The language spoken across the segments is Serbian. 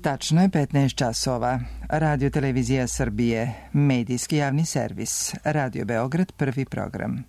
Tačno je 15 časova. Radio Televizija Srbije, medijski javni servis. Radio Beograd, prvi program.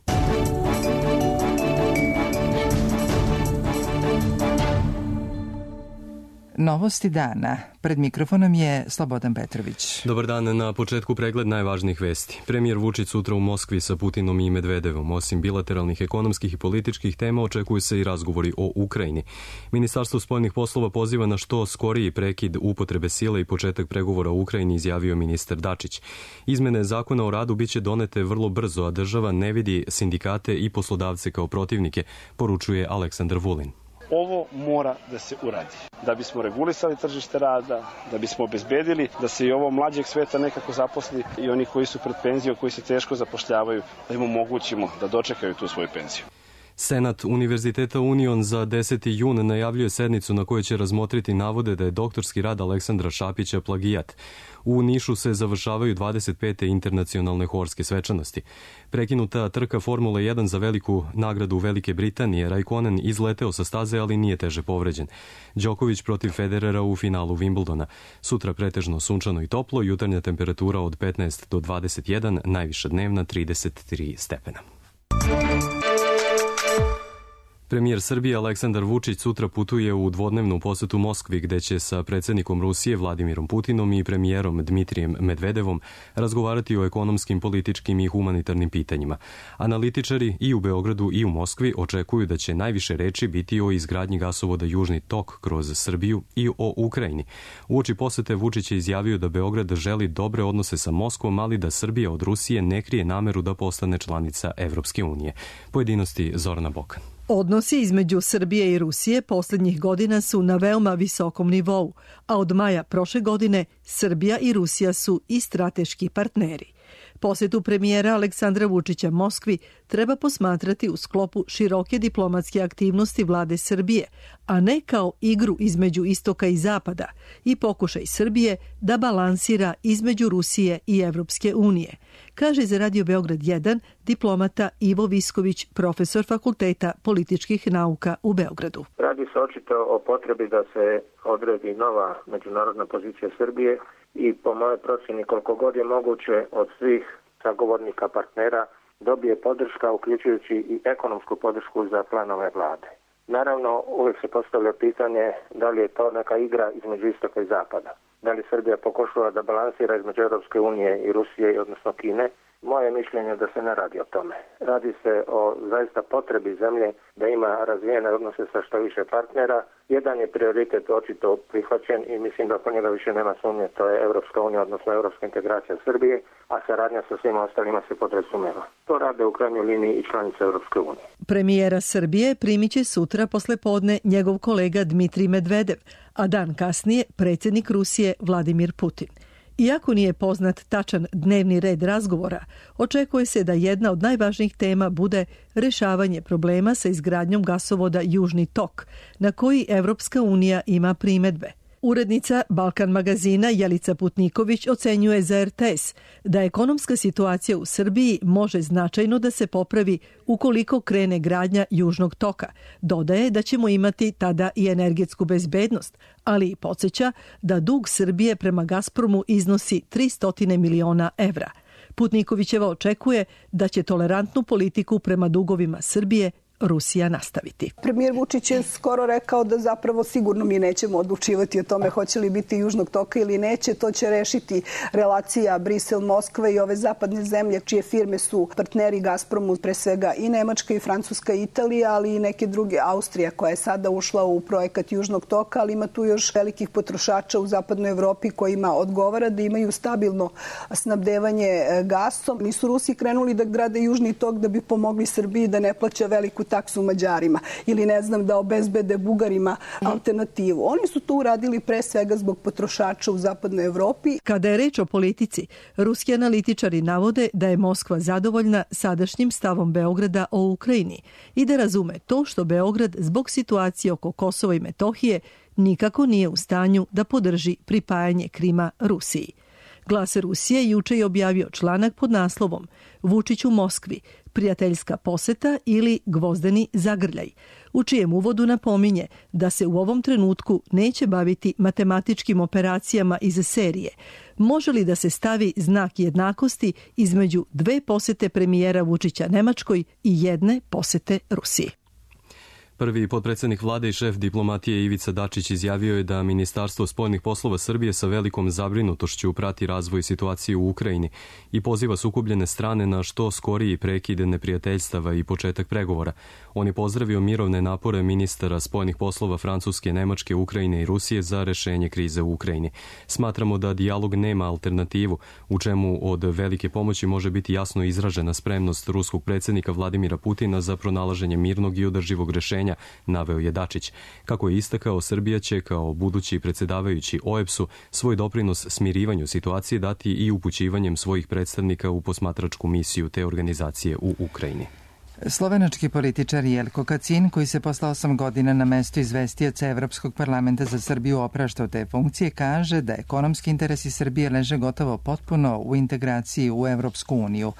Novosti dana. Pred mikrofonom je Slobodan Petrović. Dobar dan, na početku pregled najvažnijih vesti. Premijer Vučić sutra u Moskvi sa Putinom i Medvedevom. Osim bilateralnih ekonomskih i političkih tema, očekuju se i razgovori o Ukrajini. Ministarstvo spoljnih poslova poziva na što skoriji prekid upotrebe sile i početak pregovora o Ukrajini, izjavio ministar Dačić. Izmene zakona o radu biće donete vrlo brzo, a država ne vidi sindikate i poslodavce kao protivnike, poručuje Aleksandar Vulin. Ovo mora da se uradi. Da bismo regulisali tržište rada, da bismo obezbedili da se i ovo mlađeg sveta nekako zaposli i oni koji su pred penzijom, koji se teško zapošljavaju, da im omogućimo da dočekaju tu svoju penziju. Senat Univerziteta Union za 10. jun najavljuje sednicu na kojoj će razmotriti navode da je doktorski rad Aleksandra Šapića plagijat. U Nišu se završavaju 25. internacionalne horske svečanosti. Prekinuta trka Formule 1 za veliku nagradu Velike Britanije, Raikkonen izleteo sa staze, ali nije teže povređen. Đoković protiv Federera u finalu Wimbledona. Sutra pretežno sunčano i toplo, jutarnja temperatura od 15 do 21, najviša dnevna 33 stepena. Premijer Srbije Aleksandar Vučić sutra putuje u dvodnevnu posetu Moskvi, gde će sa predsjednikom Rusije Vladimirom Putinom i premijerom Dmitrijem Medvedevom razgovarati o ekonomskim, političkim i humanitarnim pitanjima. Analitičari i u Beogradu i u Moskvi očekuju da će najviše reči biti o izgradnji gasovoda Južni tok kroz Srbiju i o Ukrajini. Uoči posete Vučić je izjavio da Beograd želi dobre odnose sa Moskvom, ali da Srbija od Rusije ne krije nameru da postane članica Evropske unije. Pojedinosti Zorana Bokan. Odnosi između Srbije i Rusije posljednjih godina su na veoma visokom nivou, a od maja prošle godine Srbija i Rusija su i strateški partneri. Posjetu premijera Aleksandra Vučića Moskvi treba posmatrati u sklopu široke diplomatske aktivnosti vlade Srbije, a ne kao igru između istoka i zapada i pokušaj Srbije da balansira između Rusije i Evropske unije, kaže za Radio Beograd 1 diplomata Ivo Visković, profesor Fakulteta političkih nauka u Beogradu. Radi se očito o potrebi da se odredi nova međunarodna pozicija Srbije i po mojoj procjeni koliko god je moguće od svih sagovornika partnera dobije podrška, uključujući i ekonomsku podršku za planove vlade. Naravno, uvijek se postavlja pitanje da li je to neka igra između istoka i zapada. Da li Srbija pokušava da balansira između Europske unije i Rusije, odnosno Kine. Moje mišljenje je da se ne radi o tome. Radi se o zaista potrebi zemlje da ima razvijene odnose sa što više partnera. Jedan je prioritet očito prihvaćen i mislim da oko njega više nema sumnje, to je Europska unija, odnosno europska integracija Srbije, a saradnja sa svima ostalima se podrazumeva. To rade u krajnjoj liniji i članice Europske unije. Premijera Srbije primit će sutra poslepodne njegov kolega Dmitrij Medvedev, a dan kasnije predsjednik Rusije Vladimir Putin. Iako nije poznat tačan dnevni red razgovora, očekuje se da jedna od najvažnijih tema bude rešavanje problema sa izgradnjom gasovoda Južni tok, na koji Evropska unija ima primedbe. Urednica Balkan magazina Jelica Putniković ocenjuje za RTS da ekonomska situacija u Srbiji može značajno da se popravi ukoliko krene gradnja Južnog toka. Dodaje da ćemo imati tada i energetsku bezbednost, ali i podsjeća da dug Srbije prema Gazpromu iznosi 300 miliona evra. Putnikovićeva očekuje da će tolerantnu politiku prema dugovima Srbije Rusija nastaviti. Premijer Vučić je skoro rekao da zapravo sigurno mi nećemo odlučivati o tome hoće li biti Južnog toka ili neće. To će rešiti relacija Brisel-Moskva i ove zapadne zemlje čije firme su partneri Gazpromu, pre svega i Nemačka i Francuska i Italija, ali i neke druge, Austrija koja je sada ušla u projekat Južnog toka, ali ima tu još velikih potrošača u zapadnoj Evropi kojima odgovara da imaju stabilno snabdevanje gasom. Nisu Rusi krenuli da grade Južni tok da bi pomogli Srbiji da ne plaća veliku taksu Mađarima ili ne znam da obezbede Bugarima alternativu. Oni su to uradili pre svega zbog potrošača u zapadnoj Evropi. Kada je reč o politici, ruski analitičari navode da je Moskva zadovoljna sadašnjim stavom Beograda o Ukrajini i da razume to što Beograd zbog situacije oko Kosova i Metohije nikako nije u stanju da podrži pripajanje Krima Rusiji. Glas Rusije juče je objavio članak pod naslovom Vučić u Moskvi prijateljska poseta ili gvozdeni zagrljaj, u čijem uvodu napominje da se u ovom trenutku neće baviti matematičkim operacijama iz serije. Može li da se stavi znak jednakosti između dve posete premijera Vučića Nemačkoj i jedne posete Rusiji? Prvi potpredsjednik vlade i šef diplomatije Ivica Dačić izjavio je da Ministarstvo spoljnih poslova Srbije sa velikom zabrinutošću prati razvoj situacije u Ukrajini i poziva sukobljene strane na što skoriji prekid neprijateljstava i početak pregovora. On je pozdravio mirovne napore ministara spoljnih poslova Francuske, Nemačke, Ukrajine i Rusije za rešenje krize u Ukrajini. Smatramo da dijalog nema alternativu, u čemu od velike pomoći može biti jasno izražena spremnost ruskog predsjednika Vladimira Putina za pronalaženje mirnog i održivog rešenja, naveo je Dačić. Kako je istakao, Srbija će kao budući predsjedavajući OEBS-u svoj doprinos smirivanju situacije dati i upućivanjem svojih predstavnika u posmatračku misiju te organizacije u Ukrajini. Slovenački političar Jelko Kacin, koji se posle 8 godina na mestu izvestioca Evropskog parlamenta za Srbiju oprašta od te funkcije, kaže da ekonomski interesi Srbije leže gotovo potpuno u integraciji u Evropsku uniju.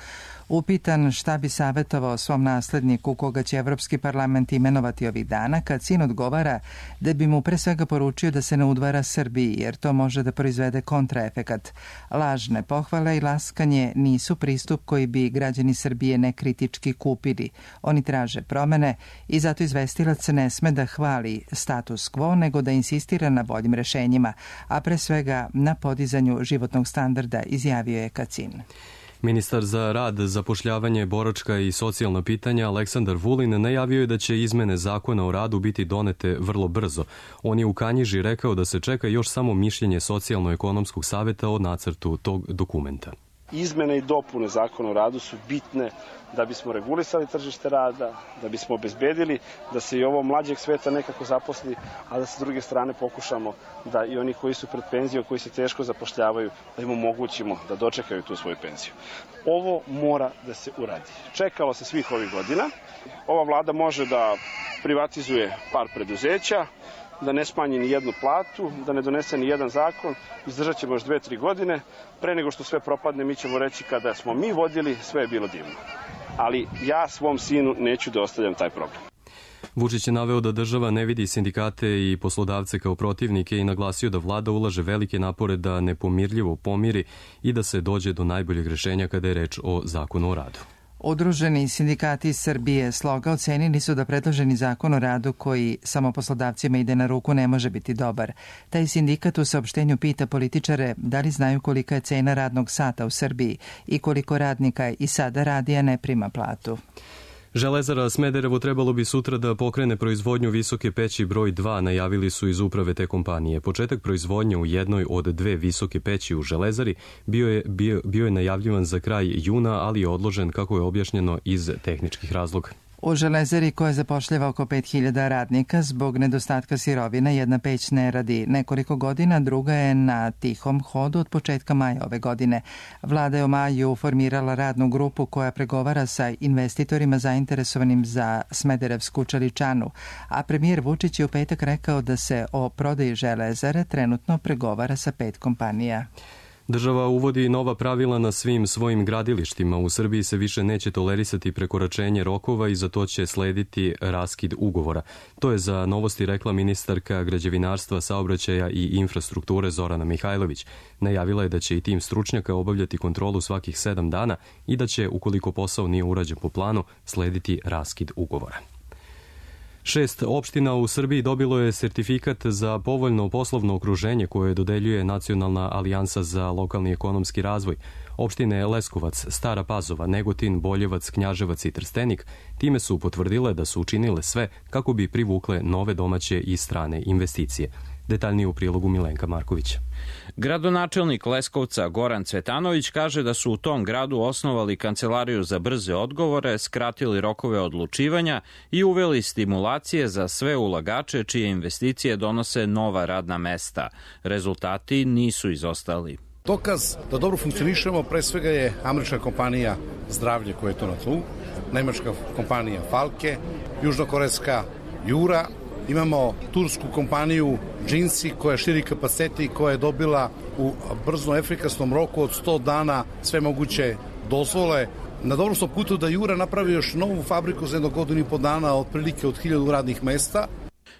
Upitan šta bi savjetovao svom nasledniku koga će Evropski parlament imenovati ovih dana, Kacin odgovara da bi mu pre svega poručio da se ne udvara Srbiji, jer to može da proizvede kontraefekat. Lažne pohvale i laskanje nisu pristup koji bi građani Srbije nekritički kupili. Oni traže promene i zato izvestilac ne sme da hvali status quo, nego da insistira na boljim rešenjima, a pre svega na podizanju životnog standarda, izjavio je Kacin. Ministar za rad, zapošljavanje, boračka i socijalna pitanja Aleksandar Vulin najavio je da će izmene zakona o radu biti donete vrlo brzo. On je u Kanjiži rekao da se čeka još samo mišljenje Socijalno-ekonomskog saveta o nacrtu tog dokumenta. Izmene i dopune zakona o radu su bitne da bismo regulisali tržište rada, da bismo obezbedili da se i ovo mlađeg sveta nekako zaposli, a da s druge strane pokušamo da i oni koji su pred penzijom, koji se teško zapošljavaju, da im omogućimo da dočekaju tu svoju penziju. Ovo mora da se uradi. Čekalo se svih ovih godina. Ova vlada može da privatizuje par preduzeća, da ne smanji ni jednu platu, da ne donese ni jedan zakon, izdržat ćemo još 2-3 godine. Pre nego što sve propadne, mi ćemo reći kada smo mi vodili, sve je bilo divno. Ali ja svom sinu neću da ostavljam taj problem. Vučić je naveo da država ne vidi sindikate i poslodavce kao protivnike i naglasio da vlada ulaže velike napore da nepomirljivo pomiri i da se dođe do najboljeg rešenja kada je reč o zakonu o radu. Udruženi sindikati Srbije Sloga ocenili su da predloženi zakon o radu koji samo poslodavcima ide na ruku ne može biti dobar. Taj sindikat u saopštenju pita političare da li znaju kolika je cena radnog sata u Srbiji i koliko radnika i sada radi, a ne prima platu. Železara Smederevo trebalo bi sutra da pokrene proizvodnju visoke peći broj 2, najavili su iz uprave te kompanije. Početak proizvodnje u jednoj od dve visoke peći u Železari bio je najavljivan za kraj juna, ali je odložen, kako je objašnjeno, iz tehničkih razloga. U Železari, koja zapošljava oko 5000 radnika, zbog nedostatka sirovina jedna peć ne radi nekoliko godina, druga je na tihom hodu od početka maja ove godine. Vlada je u maju formirala radnu grupu koja pregovara sa investitorima zainteresovanim za Smederevsku čeličanu, a premijer Vučić je u petak rekao da se o prodaji Železare trenutno pregovara sa 5 kompanija. Država uvodi nova pravila na svim svojim gradilištima. U Srbiji se više neće tolerisati prekoračenje rokova i za to će slediti raskid ugovora. To je za Novosti rekla ministarka građevinarstva, saobraćaja i infrastrukture Zorana Mihajlović. Najavila je da će i tim stručnjaka obavljati kontrolu svakih 7 dana i da će, ukoliko posao nije urađen po planu, slediti raskid ugovora. 6 opština u Srbiji dobilo je sertifikat za povoljno poslovno okruženje koje dodeljuje Nacionalna alijansa za lokalni ekonomski razvoj. Opštine Leskovac, Stara Pazova, Negotin, Boljevac, Knjaževac i Trstenik time su potvrdile da su učinile sve kako bi privukle nove domaće i strane investicije. Detaljnije u prilogu Milenka Markovića. Gradonačelnik Leskovca Goran Cvetanović kaže da su u tom gradu osnovali kancelariju za brze odgovore, skratili rokove odlučivanja i uveli stimulacije za sve ulagače čije investicije donose nova radna mesta. Rezultati nisu izostali. Dokaz da dobro funkcionišemo pre svega je američka kompanija Zdravlje koja je to na tlu, nemačka kompanija Falke, južnokorejska Jura, imamo tursku kompaniju Džinsi koja širi kapacitete i koja je dobila u brzo efikasnom roku od 100 dana sve moguće dozvole. Na dobrom smo putu da Jura napravi još novu fabriku za 1 godinu i po dana, otprilike od 1000 radnih mesta.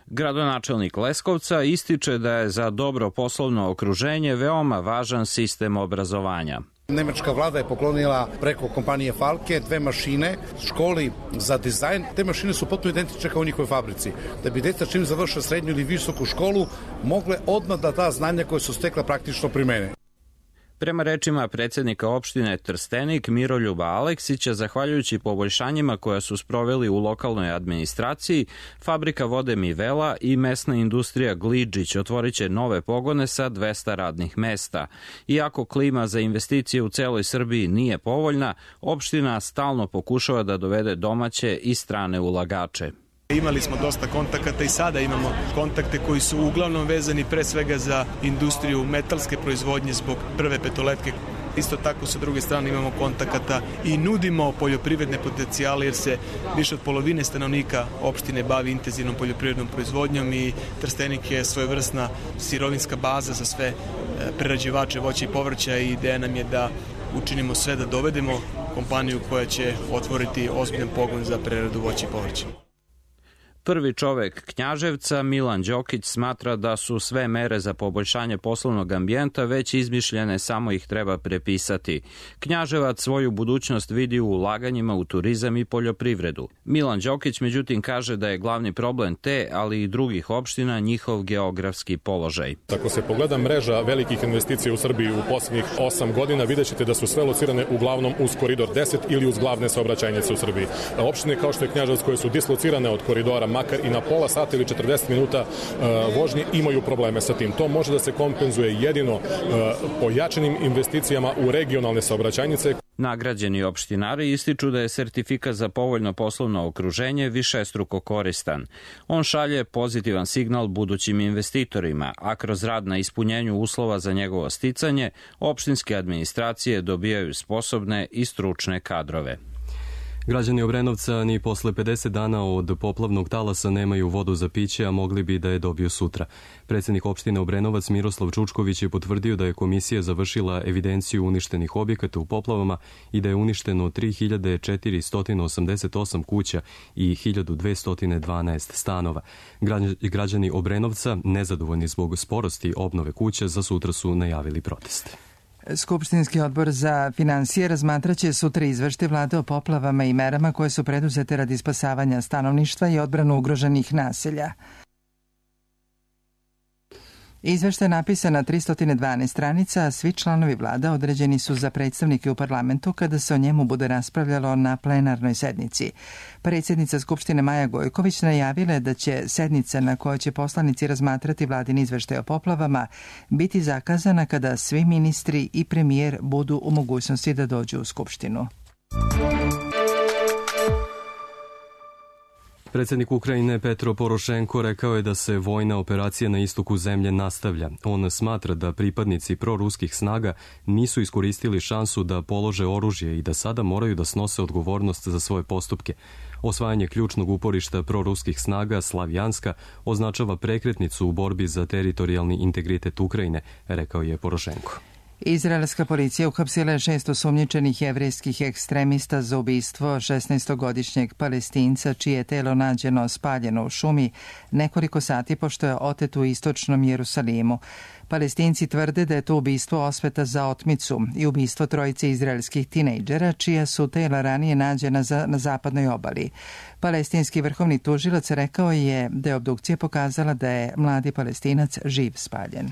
Gradonačelnik Leskovca ističe da je za dobro poslovno okruženje veoma važan sistem obrazovanja. Nemačka vlada je poklonila preko kompanije Falke 2 mašine školi za dizajn. Te mašine su potpuno identične kao u njihovoj fabrici. Da bi deca čim završe srednju ili visoku školu mogle odmah da ta znanja koje su stekla praktično primene. Prema rečima predsjednika opštine Trstenik Miroljuba Aleksića, zahvaljujući poboljšanjima koja su sproveli u lokalnoj administraciji, fabrika vode Mivela i mesna industrija Gliđić otvorit će nove pogone sa 200 radnih mesta. Iako klima za investicije u celoj Srbiji nije povoljna, opština stalno pokušava da dovede domaće i strane ulagače. Imali smo dosta kontakata i sada imamo kontakte koji su uglavnom vezani pre svega za industriju metalske proizvodnje zbog prve petoletke. Isto tako sa druge strane imamo kontakata i nudimo poljoprivredne potencijale jer se više od polovine stanovnika opštine bavi intenzivnom poljoprivrednom proizvodnjom i Trstenik je svojevrsna sirovinska baza za sve prerađivače voća i povrća i ideja nam je da učinimo sve da dovedemo kompaniju koja će otvoriti ozbiljan pogon za preradu voća i povrća. Prvi čovek Knjaževca, Milan Đokić, smatra da su sve mere za poboljšanje poslovnog ambijenta već izmišljene, samo ih treba prepisati. Knjaževac svoju budućnost vidi u ulaganjima u turizam i poljoprivredu. Milan Đokić međutim kaže da je glavni problem te, ali i drugih opština, njihov geografski položaj. Ako se pogleda mreža velikih investicija u Srbiji u posljednjih 8 godina, vidjet ćete da su sve locirane uglavnom uz koridor 10 ili uz glavne saobraćajnice u Srbiji. Opštine kao što je Knjaževac koje su dislocirane od koridora makar i na pola sata ili 40 minuta vožnje imaju probleme sa tim. To može da se kompenzuje jedino pojačanim investicijama u regionalne saobraćajnice. Nagrađeni opštinari ističu da je sertifikat za povoljno poslovno okruženje višestruko koristan. On šalje pozitivan signal budućim investitorima, a kroz rad na ispunjenju uslova za njegovo sticanje, opštinske administracije dobijaju sposobne i stručne kadrove. Građani Obrenovca ni posle 50 dana od poplavnog talasa nemaju vodu za piće, a mogli bi da je dobiju sutra. Predsjednik opštine Obrenovac Miroslav Čučković je potvrdio da je komisija završila evidenciju uništenih objekata u poplavama i da je uništeno 3488 kuća i 1212 stanova. Građani Obrenovca, nezadovoljni zbog sporosti obnove kuća, za sutra su najavili protest. Skupštinski odbor za finansije razmatraće sutra izveštaj vlade o poplavama i merama koje su preduzete radi spasavanja stanovništva i odbranu ugroženih naselja. Izveštaj je napisan na 312 stranica, a svi članovi vlada određeni su za predstavnike u parlamentu kada se o njemu bude raspravljalo na plenarnoj sednici. Predsjednica Skupštine Maja Gojković najavila je da će sednica na kojoj će poslanici razmatrati vladin izveštaj o poplavama biti zakazana kada svi ministri i premijer budu u mogućnosti da dođu u Skupštinu. Predsjednik Ukrajine Petro Porošenko rekao je da se vojna operacija na istoku zemlje nastavlja. On smatra da pripadnici proruskih snaga nisu iskoristili šansu da polože oružje i da sada moraju da snose odgovornost za svoje postupke. Osvajanje ključnog uporišta proruskih snaga Slavjanska označava prekretnicu u borbi za teritorijalni integritet Ukrajine, rekao je Porošenko. Izraelska policija uhapsila je 6 osumnjičenih jevrejskih ekstremista za ubistvo 16-godišnjeg Palestinca čije je telo nađeno spaljeno u šumi nekoliko sati pošto je otet u istočnom Jerusalimu. Palestinci tvrde da je to ubistvo osveta za otmicu i ubistvo trojice izraelskih tinejdžera čija su tela ranije nađena na zapadnoj obali. Palestinski vrhovni tužilac rekao je da je obdukcija pokazala da je mladi Palestinac živ spaljen.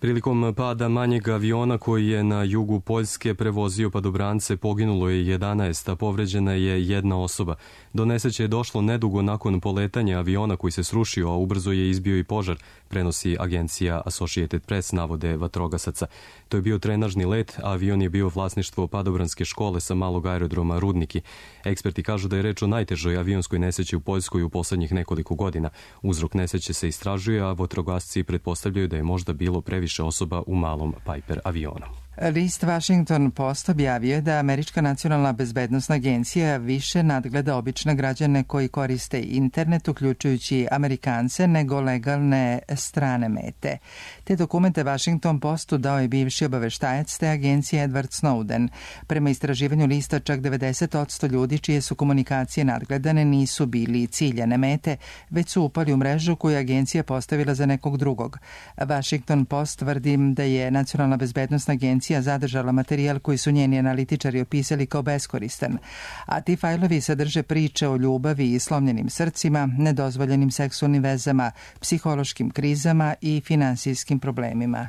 Prilikom pada manjeg aviona koji je na jugu Poljske prevozio padobrance poginulo je 11, a povređena je jedna osoba. Do nesreće je došlo nedugo nakon poletanja aviona koji se srušio, a ubrzo je izbio i požar, prenosi agencija Associated Press, navode vatrogasaca. To je bio trenažni let, a avion je bio vlasništvo padobranske škole sa malog aerodroma Rudniki. Eksperti kažu da je reč o najtežoj avionskoj nesreći u Poljskoj u poslednjih nekoliko godina. Uzrok nesreće se istražuje, a vatrogasci pretpostavljaju da je možda bilo previše osoba u malom Piper avionu. List Washington Post objavio je da Američka nacionalna bezbednosna agencija više nadgleda obične građane koji koriste internet, uključujući Amerikance, nego legalne strane mete. Te dokumente Washington Postu dao je bivši obaveštajac te agencije Edward Snowden. Prema istraživanju lista, čak 90% ljudi čije su komunikacije nadgledane nisu bili ciljane mete, već su upali u mrežu koju je agencija postavila za nekog drugog. Washington Post tvrdi da je Nacionalna bezbednosna agencija zadržala materijal koji su njeni analitičari opisali kao beskoristan, a ti fajlovi sadrže priče o ljubavi i slomljenim srcima, nedozvoljenim seksualnim vezama, psihološkim krizama i finansijskim problemima.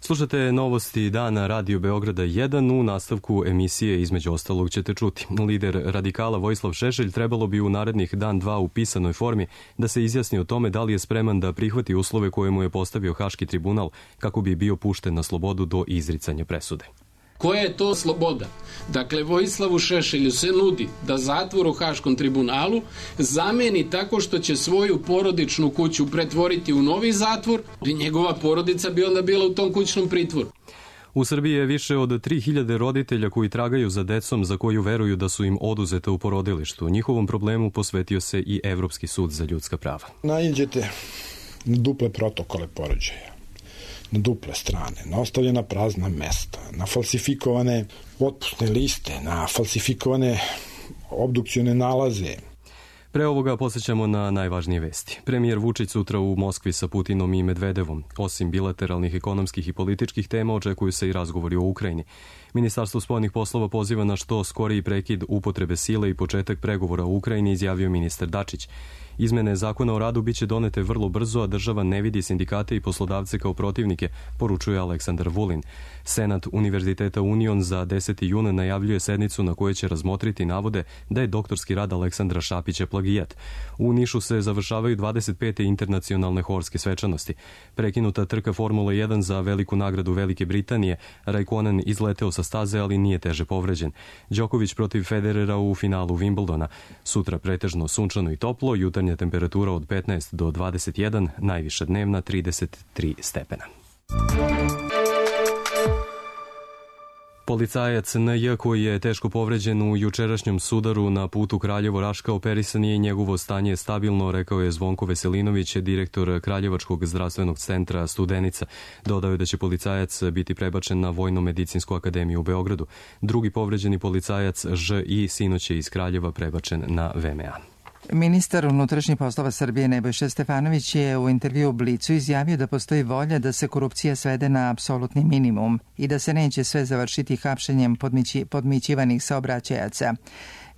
Slušate novosti dana Radio Beograda 1. U nastavku emisije između ostalog ćete čuti. Lider radikala Vojislav Šešelj trebalo bi u narednih dan dva u pisanoj formi da se izjasni o tome da li je spreman da prihvati uslove koje mu je postavio Haški tribunal kako bi bio pušten na slobodu do izricanja presude. Koja je to sloboda? Dakle, Vojislavu Šešelju se nudi da zatvor u Haškom tribunalu zameni tako što će svoju porodičnu kuću pretvoriti u novi zatvor i njegova porodica bi onda bila u tom kućnom pritvoru. U Srbiji je više od 3000 roditelja koji tragaju za decom za koju veruju da su im oduzete u porodilištu. Njihovom problemu posvetio se i Evropski sud za ljudska prava. Naiđete na duple protokole porođaja, na duple strane, na ostavljena prazna mesta, na falsifikovane otpusne liste, na falsifikovane obdukcione nalaze. Pre ovoga posjećamo na najvažnije vesti. Premijer Vučić sutra u Moskvi sa Putinom i Medvedevom. Osim bilateralnih ekonomskih i političkih tema, očekuju se i razgovori o Ukrajini. Ministarstvo spoljnih poslova poziva na što skoriji prekid upotrebe sile i početak pregovora u Ukrajini, izjavio ministar Dačić. Izmene zakona o radu biće donete vrlo brzo, a država ne vidi sindikate i poslodavce kao protivnike, poručuje Aleksandar Vulin. Senat Univerziteta Union za 10. juna najavljuje sednicu na kojoj će razmotriti navode da je doktorski rad Aleksandra Šapića plagijat. U Nišu se završavaju 25. internacionalne horske svečanosti. Prekinuta trka Formula 1 za veliku nagradu Velike Britanije. Raikkonen izleteo sa staze, ali nije teže povređen. Đoković protiv Federera u finalu Wimbledona. Sutra pretežno sunčano i toplo, jutarnja temperatura od 15 do 21, najviša dnevna 33 stepena. Policajac N.J. koji je teško povređen u jučerašnjem sudaru na putu Kraljevo-Raška operisan je i njegovo stanje stabilno, rekao je Zvonko Veselinović, direktor Kraljevačkog zdravstvenog centra Studenica. Dodao je da će policajac biti prebačen na Vojno-medicinsku akademiju u Beogradu. Drugi povređeni policajac Ž.I. sinoć je iz Kraljeva prebačen na VMA. Ministar unutrašnjih poslova Srbije Nebojša Stefanović je u intervju u Blicu izjavio da postoji volja da se korupcija svede na apsolutni minimum i da se neće sve završiti hapšenjem podmićivanih saobraćajaca.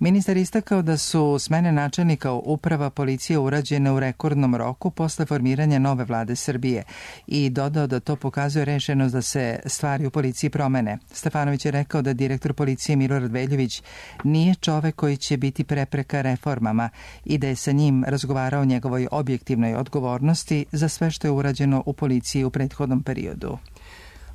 Ministar istakao da su smene načelnika uprava policije urađene u rekordnom roku posle formiranja nove vlade Srbije i dodao da to pokazuje rešenost da se stvari u policiji promene. Stefanović je rekao da direktor policije Milorad Veljović nije čovek koji će biti prepreka reformama i da je sa njim razgovarao o njegovoj objektivnoj odgovornosti za sve što je urađeno u policiji u prethodnom periodu.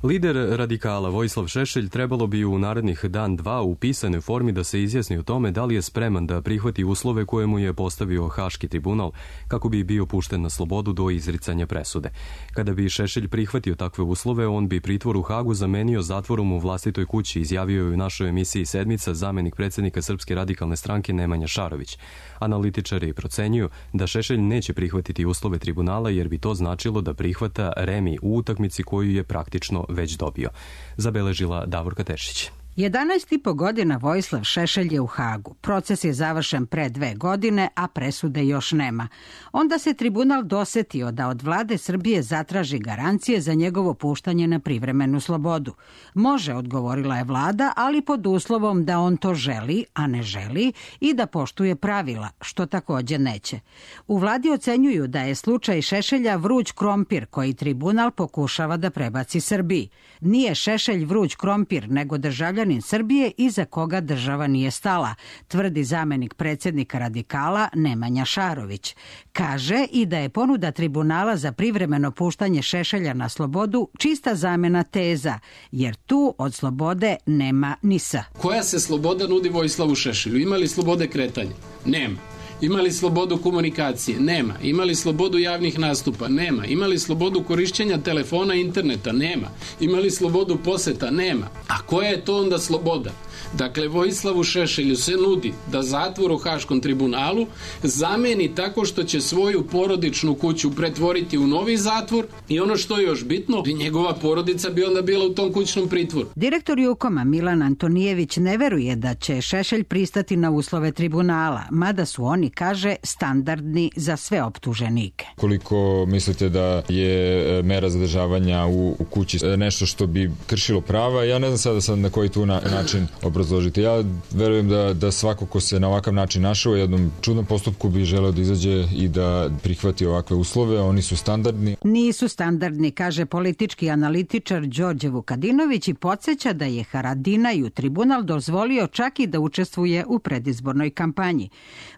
Lider radikala Vojislav Šešelj trebalo bi u narednih dan dva u pisanoj formi da se izjasni o tome da li je spreman da prihvati uslove koje mu je postavio Haški tribunal kako bi bio pušten na slobodu do izricanja presude. Kada bi Šešelj prihvatio takve uslove, on bi pritvor u Hagu zamenio zatvorom u vlastitoj kući, izjavio je u našoj emisiji Sedmica zamenik predsjednika Srpske radikalne stranke Nemanja Šarović. Analitičari procenjuju da Šešelj neće prihvatiti uslove tribunala jer bi to značilo da prihvata remi u utakmici koju je praktično već dobio. Zabeležila Davorka Tešić. 11,5 godina Vojislav Šešelj je u Hagu. Proces je završen pre 2 godine, a presude još nema. Onda se tribunal dosetio da od vlade Srbije zatraži garancije za njegovo puštanje na privremenu slobodu. Može, odgovorila je vlada, ali pod uslovom da on to želi, a ne želi, i da poštuje pravila, što takođe neće. U vladi ocenjuju da je slučaj Šešelja vruć krompir koji tribunal pokušava da prebaci Srbiji. Nije Šešelj vruć krompir, nego državljanin Srbije iza koga država nije stala, tvrdi zamenik predsjednika radikala Nemanja Šarović. Kaže i da je ponuda tribunala za privremeno puštanje Šešelja na slobodu čista zamena teza, jer tu od slobode nema ni s. Koja se sloboda nudi Vojislavu Šešelju? Ima li slobode kretanja? Nema. Imali slobodu komunikacije? Nema. Imali slobodu javnih nastupa? Nema. Imali slobodu korišćenja telefona i interneta? Nema. Imali slobodu poseta? Nema. A koja je to onda sloboda? Dakle, Vojislavu Šešelju se nudi da zatvor u Haškom tribunalu zameni tako što će svoju porodičnu kuću pretvoriti u novi zatvor i ono što je još bitno, njegova porodica bi onda bila u tom kućnom pritvoru. Direktor Jukoma Milan Antonijević ne veruje da će Šešelj pristati na uslove tribunala, mada su oni, kaže, standardni za sve optuženike. Koliko mislite da je mera zadržavanja u kući nešto što bi kršilo prava, ja ne znam sada sad na koji tu način obrazložiti. Ja verujem da svako ko se na ovakav način našao u jednom čudnom postupku bi želeo da izađe i da prihvati ovakve uslove, oni su standardni. Nisu standardni, kaže politički analitičar Đorđe Vukadinović i podsjeća da je Haradinaju tribunal dozvolio čak i da učestvuje u predizbornoj kampanji.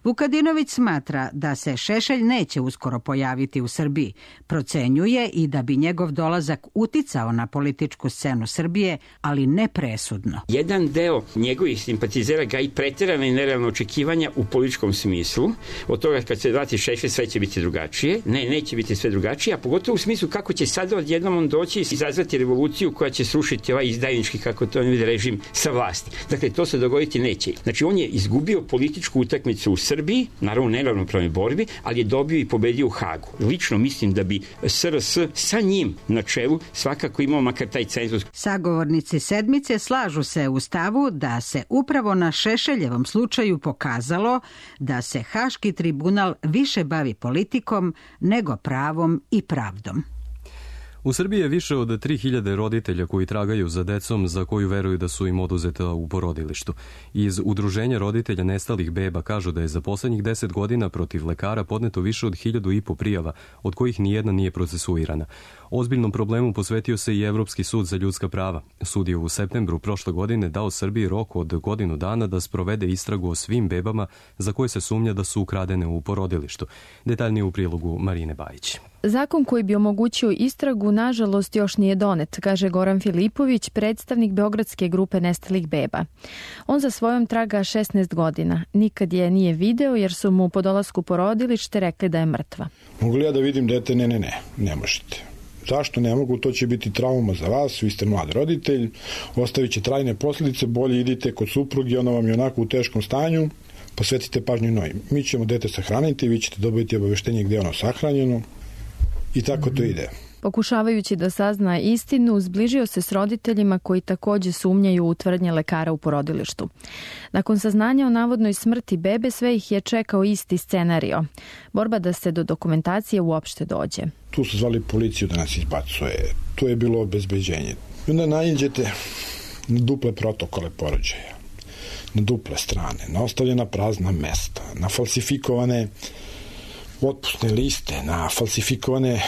Vukadinović smatra da se Šešelj neće uskoro pojaviti u Srbiji. Procenjuje i da bi njegov dolazak uticao na političku scenu Srbije, ali ne presudno. Jedan deo njegovih simpatizera ga i preterana i nerealna očekivanja u političkom smislu. Od toga kad se vrati Šešelj sve će biti drugačije. Ne, neće biti sve drugačije, a pogotovo u smislu kako će sada odjednom on doći i izazvati revoluciju koja će srušiti ovaj izdajnički, kako to ne vidi, režim sa vlasti. Dakle, to se dogoditi neće. Znači, on je izgubio političku utakmicu u Srbiji, naravno u neravnopravnoj borbi, ali je dobio i pobedio u Hagu. Lično mislim da bi SRS sa njim na čelu svakako imao makar taj cenzus. Sagovornici sedmice slažu se u stavu da se upravo na Šešeljevom slučaju pokazalo da se Haški tribunal više bavi politikom nego pravom i pravdom. U Srbiji je više od 3000 roditelja koji tragaju za decom za koju veruju da su im oduzeta u porodilištu. Iz Udruženja roditelja nestalih beba kažu da je za poslednjih 10 godina protiv lekara podneto više od 1500 prijava, od kojih nijedna nije procesuirana. Ozbiljnom problemu posvetio se i Evropski sud za ljudska prava. Sud je u septembru prošle godine dao Srbiji rok od godinu dana da sprovede istragu o svim bebama za koje se sumnja da su ukradene u porodilištu. Detaljnije u prilogu Marine Bajić. Zakon koji bi omogućio istragu, nažalost, još nije donet, kaže Goran Filipović, predstavnik Beogradske grupe nestalih beba. On za svojom traga 16 godina. Nikad je nije video jer su mu po dolasku porodilište rekli da je mrtva. Mogu li ja da vidim dete? Ne možete. Zašto ne mogu? To će biti trauma za vas, vi ste mlad roditelj, ostavit će trajne posljedice, bolje idite kod supruge, ona vam je onako u teškom stanju, posvetite pažnju njoj. Mi ćemo dete sahraniti, vi ćete dobiti obaveštenje gdje je ono sahranjeno i tako to ide. Pokušavajući da sazna istinu, zbližio se s roditeljima koji takođe sumnjaju u tvrdnje lekara u porodilištu. Nakon saznanja o navodnoj smrti bebe, sve ih je čekao isti scenario. Borba da se do dokumentacije uopšte dođe. Tu su zvali policiju da nas izbacuje, tu je bilo obezbeđenje. I onda naiđete na duple protokole porođaja, na duple strane, na ostavljena prazna mesta, na falsifikovane otpusne liste, na falsifikovane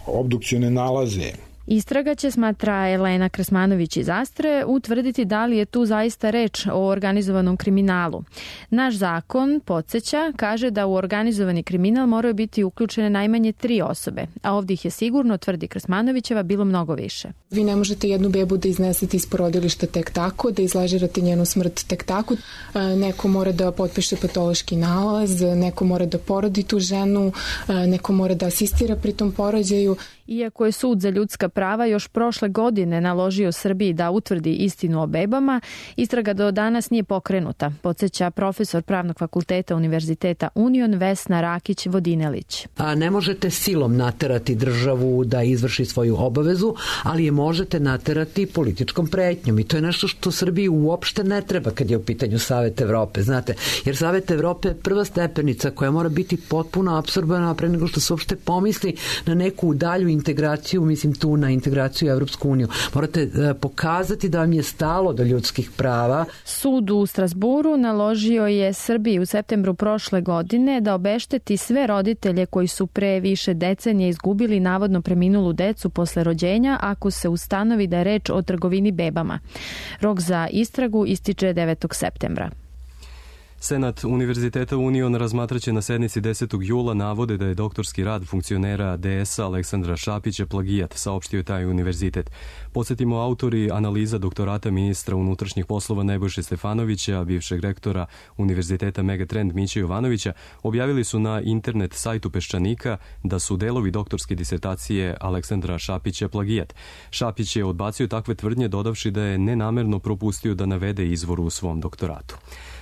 obdukcione nalaze. Istraga će, smatra Elena Krsmanović iz Astre, utvrditi da li je tu zaista reč o organizovanom kriminalu. Naš zakon, podsjeća, kaže da u organizovani kriminal moraju biti uključene najmanje 3 osobe, a ovdje ih je sigurno, tvrdi Krsmanovićeva, bilo mnogo više. Vi ne možete jednu bebu da iznesete iz porodilišta tek tako, da izlažirate njenu smrt tek tako. Neko mora da potpiše patološki nalaz, neko mora da porodi tu ženu, neko mora da asistira pri tom porođaju. Iako je Sud za ljudska prava još prošle godine naložio Srbiji da utvrdi istinu o bebama, istraga do danas nije pokrenuta, podsjeća profesor Pravnog fakulteta Univerziteta Union Vesna Rakić-Vodinelić. Ne možete silom naterati državu da izvrši svoju obavezu, ali je možete naterati političkom pretnjom i to je nešto što Srbiji uopšte ne treba kad je u pitanju Savet Evrope, znate, jer Savet Evrope je prva stepenica koja mora biti potpuno apsorbena pre nego što se uopšte pomisli na neku dalju integraciju, mislim tu na integraciju u Evropsku uniju. Morate pokazati da vam je stalo do ljudskih prava. Sud u Strasburu naložio je Srbiji u septembru prošle godine da obešteti sve roditelje koji su pre više decenije izgubili navodno preminulu decu posle rođenja ako se ustanovi da je reč o trgovini bebama. Rok za istragu ističe 9. septembra. Senat Univerziteta Union razmatraće na sednici 10. jula navode da je doktorski rad funkcionera DS-a Aleksandra Šapića plagijat, saopštio je taj univerzitet. Podsjetimo, autori analiza doktorata ministra unutrašnjih poslova Nebojše Stefanovića, bivšeg rektora Univerziteta Megatrend Miće Jovanovića, objavili su na internet sajtu Peščanika da su delovi doktorske disertacije Aleksandra Šapića plagijat. Šapić je odbacio takve tvrdnje, dodavši da je nenamerno propustio da navede izvor u svom doktoratu.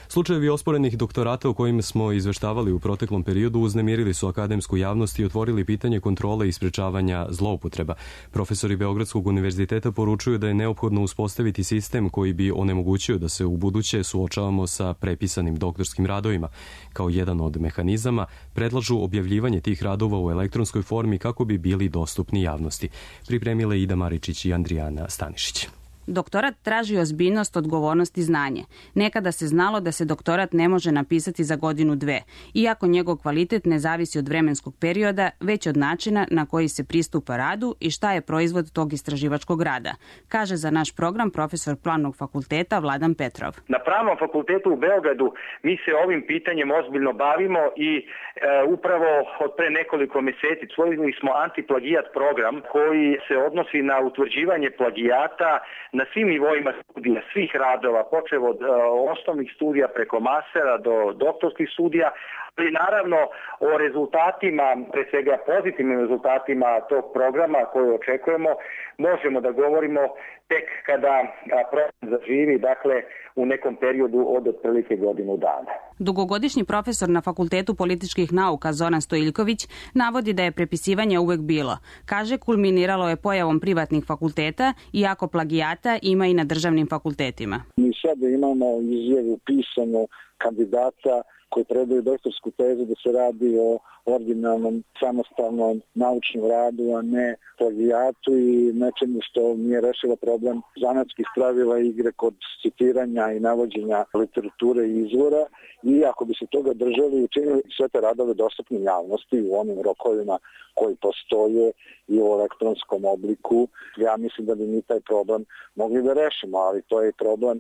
Slučajevi osporenih doktorata o kojim smo izveštavali u proteklom periodu uznemirili su akademsku javnost i otvorili pitanje kontrole i sprečavanja zloupotreba. Profesori Beogradskog univerziteta poručuju da je neophodno uspostaviti sistem koji bi onemogućio da se u buduće suočavamo sa prepisanim doktorskim radovima. Kao jedan od mehanizama predlažu objavljivanje tih radova u elektronskoj formi kako bi bili dostupni javnosti. Pripremile Ida Maričić i Andrijana Stanišić. Doktorat traži ozbiljnost, odgovornost i znanje. Nekada se znalo da se doktorat ne može napisati za godinu, dve, iako njegov kvalitet ne zavisi od vremenskog perioda, već od načina na koji se pristupa radu i šta je proizvod tog istraživačkog rada, kaže za naš program profesor Pravnog fakulteta Vladan Petrov. Na Pravnom fakultetu u Beogradu mi se ovim pitanjem ozbiljno bavimo i upravo od pre nekoliko meseci usvojili smo antiplagijat program koji se odnosi na utvrđivanje plagijata na svim nivoima studija, svih radova, počev od osnovnih studija preko mastera do doktorskih studija, ali naravno o rezultatima, pre svega pozitivnim rezultatima tog programa koje očekujemo, možemo da govorimo tek kada program zaživi, dakle u nekom periodu od otprilike godinu dana. Dugogodišnji profesor na Fakultetu političkih nauka Zoran Stojiljković navodi da je prepisivanje uvek bilo. Kaže, kulminiralo je pojavom privatnih fakulteta, iako plagijata ima i na državnim fakultetima. Mi sada imamo izjavu pisanu kandidata koji predaju doktorsku tezu da se radi o originalnom, samostalnom naučnom radu, a ne plagijatu i nečemu što nije rešilo problem zanatskih pravila igre kod citiranja i navođenja literature i izvora. I ako bi se toga držali, učinili sve te radove dostupne javnosti u onim rokovima koji postoje i u elektronskom obliku, ja mislim da bi mi taj problem mogli da rešimo, ali to je problem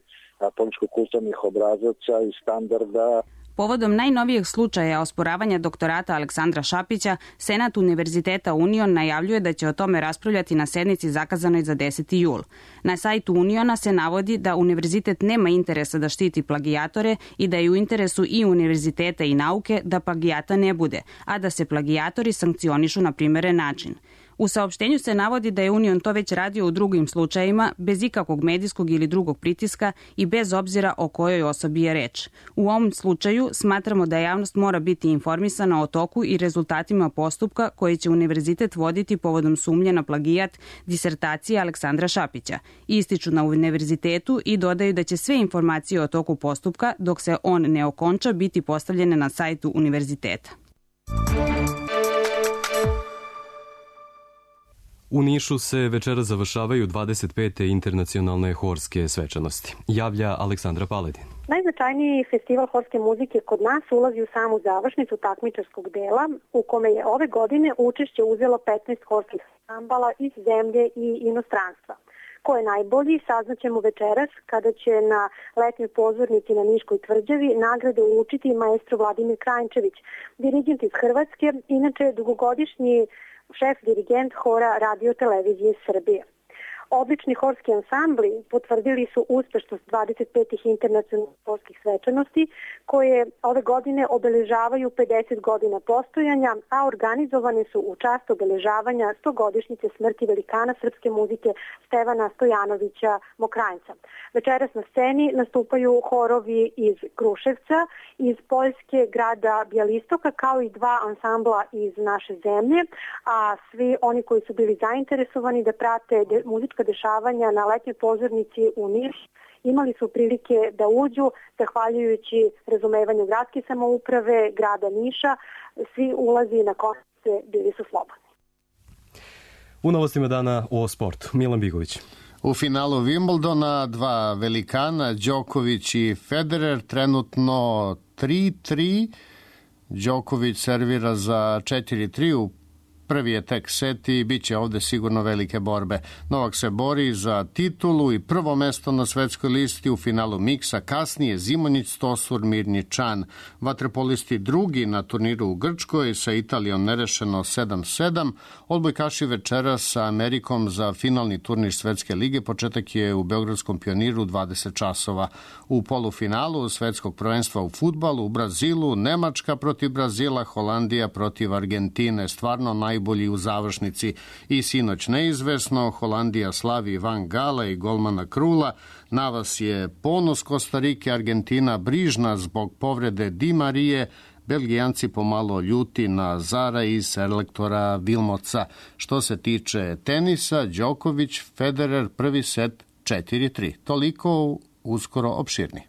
političko-kulturnih obrazaca i standarda. Povodom najnovijeg slučaja osporavanja doktorata Aleksandra Šapića, Senat Univerziteta Union najavljuje da će o tome raspravljati na sednici zakazanoj za 10. jul. Na sajtu Uniona se navodi da univerzitet nema interesa da štiti plagijatore i da je u interesu i univerziteta i nauke da plagijata ne bude, a da se plagijatori sankcionišu na primeren način. U saopštenju se navodi da je Union to već radio u drugim slučajima, bez ikakvog medijskog ili drugog pritiska i bez obzira o kojoj osobi je reč. U ovom slučaju smatramo da javnost mora biti informisana o toku i rezultatima postupka koji će univerzitet voditi povodom sumnje na plagijat disertacije Aleksandra Šapića. Ističu na univerzitetu i dodaju da će sve informacije o toku postupka, dok se on ne okonča, biti postavljene na sajtu univerziteta. U Nišu se večera završavaju 25. internacionalne horske svečanosti. Javlja Aleksandra Paledin. Najznačajniji festival horske muzike kod nas ulazi u samu završnicu takmičarskog dela, u kome je ove godine učešće uzelo 15 horskih ansambala iz zemlje i inostranstva. Ko je najbolji, saznaćemo večeras kada će na letnjoj pozornici na Niškoj tvrđavi nagrade uručiti maestro Vladimir Krajnčević, dirigent iz Hrvatske, inače dugogodišnji šef dirigent hora Radio televizije Srbije. Odlični horski ansambli potvrdili su uspešnost 25. internacionalnih horskih svečanosti koje ove godine obeležavaju 50 godina postojanja, a organizovane su u čast obeležavanja 100-godišnjice smrti velikana srpske muzike Stevana Stojanovića Mokranjca. Večeras na sceni nastupaju horovi iz Kruševca, iz Poljske grada Bjelistoka, kao i dva ansambla iz naše zemlje, a svi oni koji su bili zainteresovani da prate muzička dešavanja na letnjoj pozornici u Niš imali su prilike da uđu, zahvaljujući razumevanju gradske samouprave, grada Niša, svi ulazi na koncerte bili su slobodni. U novostima dana o sportu, Milan Bigović. U finalu Wimbledona dva velikana, Đoković i Federer, trenutno 3-3. Đoković servira za 4-3 u prvi je tek set i bit će ovde sigurno velike borbe. Novak se bori za titulu i prvo mesto na svetskoj listi u finalu miksa, kasnije Zimonjić, Stosur, Mirnjičan. Vaterpolisti drugi na turniru u Grčkoj, sa Italijom nerešeno 7-7. Odbojkaši večera sa Amerikom za finalni turnir Svetske lige. Početak je u Beogradskom Pioniru 20 časova. U polufinalu svetskog prvenstva u fudbalu u Brazilu, Nemačka protiv Brazila, Holandija protiv Argentine. Stvarno najbolji u završnici. I sinoć neizvesno, Holandija slavi Van Gala i golmana Krula. Na vas je ponos Kostarike, Argentina brižna zbog povrede Di Marije, Belgijanci pomalo ljuti na Zara i selektora Vilmoca. Što se tiče tenisa, Đoković, Federer, prvi set 4-3. Toliko, uskoro opširni.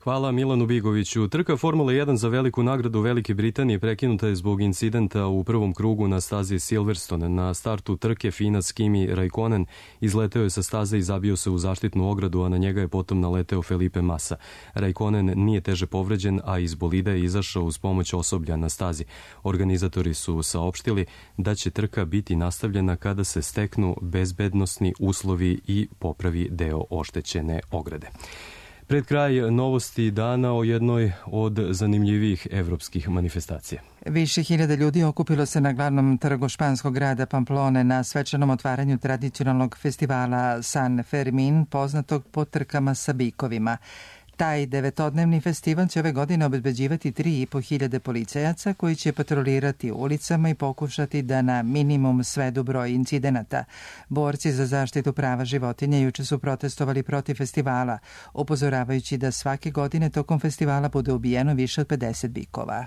Hvala Milanu Bigoviću. Trka Formula 1 za veliku nagradu Velike Britanije prekinuta je zbog incidenta u prvom krugu na stazi Silverstone. Na startu trke Finac Kimi Raikkonen izleteo je sa staze i zabio se u zaštitnu ogradu, a na njega je potom naleteo Felipe Massa. Raikkonen nije teže povređen, a iz bolida je izašao uz pomoć osoblja na stazi. Organizatori su saopštili da će trka biti nastavljena kada se steknu bezbednosni uslovi i popravi deo oštećene ograde. Pred kraj novosti dana o jednoj od zanimljivijih evropskih manifestacija. Više hiljada ljudi okupilo se na glavnom trgu španskog grada Pamplone na svečanom otvaranju tradicionalnog festivala San Fermin, poznatog po trkama sa bikovima. Taj 9-dnevni festival će ove godine obezbeđivati 3.500 policajaca koji će patrolirati ulicama i pokušati da na minimum svedu broj incidenata. Borci za zaštitu prava životinja juče su protestovali protiv festivala, upozoravajući da svake godine tokom festivala bude ubijeno više od 50 bikova.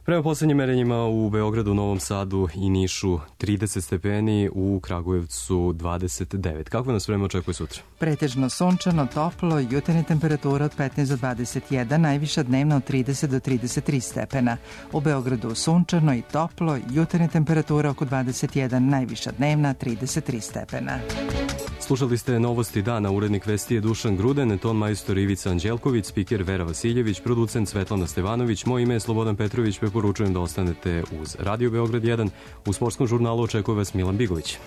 Prema poslednjim merenjima u Beogradu, Novom Sadu i Nišu 30 stepeni, u Kragujevcu 29. Kako nas vreme očekuje sutra? Pretežno sunčano, toplo, jutarnja temperatura od 15 do 21, najviša dnevna od 30 do 33 stepena. U Beogradu sunčano i toplo, jutarnja temperatura oko 21, najviša dnevna 33 stepena. Slušali ste novosti dana, urednik vesti je Dušan Gruden, ton majstor Ivica Anđelković, spiker Vera Vasiljević, producent Svetlana Stevanović, moje ime je Slobodan Petrović, preporučujem da ostanete uz Radio Beograd 1. U sportskom žurnalu očekuje vas Milan Bigović.